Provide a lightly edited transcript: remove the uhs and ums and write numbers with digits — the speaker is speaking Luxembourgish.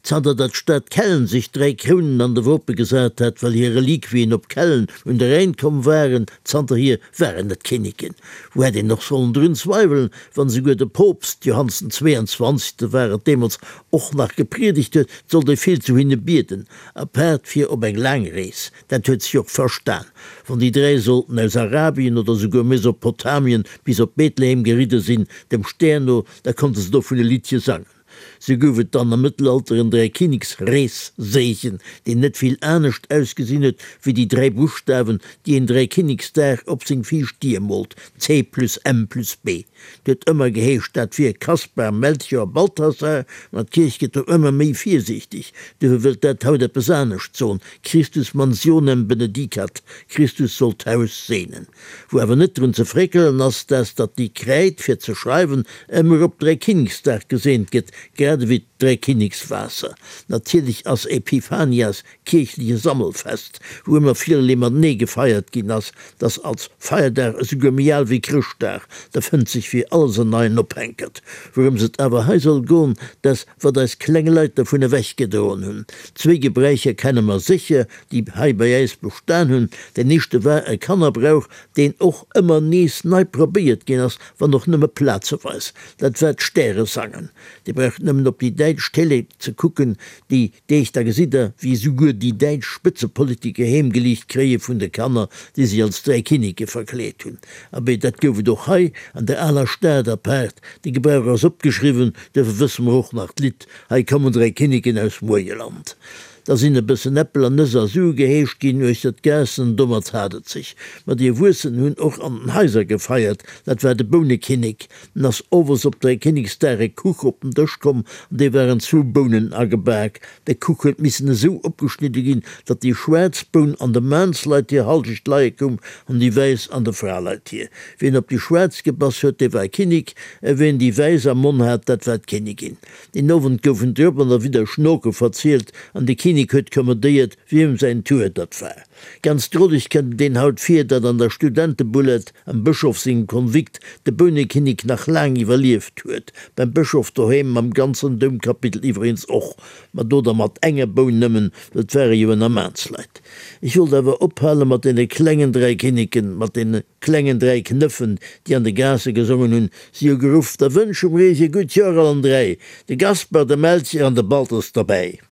Zanter datt d'Stad Kellen sech 3 Krounen an de Wope gesat hat, well hir Reliquien op Kellen un de Rhäin komm waren, zanterhier waren et Kinneken. Wou hätt een och sollen drun zweiwelen, wann esouguer de Poopst, Johannes den 22. war et deemools, och nach gepriedegt huet, 't sollt ee vill zu hinne bieden, apaart fir op eng laang Rees. Dat huet sech och verstan, wann déi 3 sollten aus Arabien oder esouguer Mesopotamien bis op Bethlehem geridde sinn, dem Stär no, da konnte se dovun e Liddche sangen. Sou gouf et dann am Mëttelalter en Dräikinneksreesseegen, deen net vill anescht ausgesinn huet wéi déi 3 Buschtawen, déi een Dräikinneksdag op seng viischt Dier moolt, C plus M plus B. Et huet ëmmer geheescht, dat wier Kaspar, Melchior, Balthasar, ma d'Kierch gëtt do ëmmer méi virsiichteg, duerfir wëllt dat haut eppes anescht soen, Christus mansionem benedicat, Christus soll d'Haus seenen. Wou awer net drun ze fréckelen ass, dat datt déi Kräid fir ze schreiwen ëmmer op Dräikinneksdag geseent gëtt, grad ewéi d'Dräikinnekswaasser. Natierlech ass Epiphanias kierchleche Sammelfest, wou ëmmer villerlee matenee gefeiert ginn ass, dass als Feierdag esouguer méi al wéi Chrëschtdag, da fënnt sech fir alles en neien Ophänkert. Wourëms et awer hei soll goen, dass wat eis kleng Leit dervun ewech gedroen hunn. Zwéi Gebräicher kenne mer sécher, déi hei bei äis bestan hunn. Deen éischte war e Kannerbrauch, deen och ëmmer nees nei probéiert ginn ass, wann och nëmme plazeweis. Dat war d'Stäresangen. Dir braucht nëmmen op déi däitsch Télé ze kucken déi Deeg, da gesitt der, wéi esouguer déi däitsch Spëtzepolitiker heemgeliicht kréie vun de Kanner, déi sech als 3 Kinneke verkleet hunn. Abee, dat gouf et och hei an der aler Stad apaart. De Gebrauch ass opgeschriwwen, duerfir wësse mer och nach d'Lidd Hei kommen 3 Kinneken aus Muerjeland. Da sinn e bëssen Äppel an Nëss a Sue geheescht ginn uechter d'Gaassen, domat hat et sech. Ma déi Erwuessen hunn och an den Haiser gefeiert, dat war de Bounekinnek. En ass owes op Dräikinneksdag e Kuch op den Dësch komm, an dee waren zwou Bounen agebak. De Kuch huet missen esou opgeschnidde ginn, datt déi schwaarz Boun an de Maansleit hir Halschecht leie koum an déi wäiss an de Fraleit hir. Wien op déi schwaarz gebass huet, dee war Kinnek, a wien déi wäiss am Monn hat, dat war d'Kinnigin. Deen Owend goufen drop an derwidder Schnoke verzielt an de Kinnek huet kommandéiert, wiem säin Tour datt war. Ganz droleg kënnt et een haut vir, datt an der Studentebullet am Bëschof sengem Konvikt de Bounekinnek nach laang iwwerlieft huet, beim Bëschof doheem mam ganzen Doumkapitel iwweregens och, ma do da mat enger Boun nëmmen, well 't ware jo ënner Maansleit. Ech wollt awer ophale mat deene klengen 3 Kinneken, mat deene klengen 3 Knëffen, déi an de Gaasse gesongen hunn, Si hu geruff, Da wënsche mir iech e gutt Joer allen 3, de Gaspar, de Melchior an de Balthus derbäi.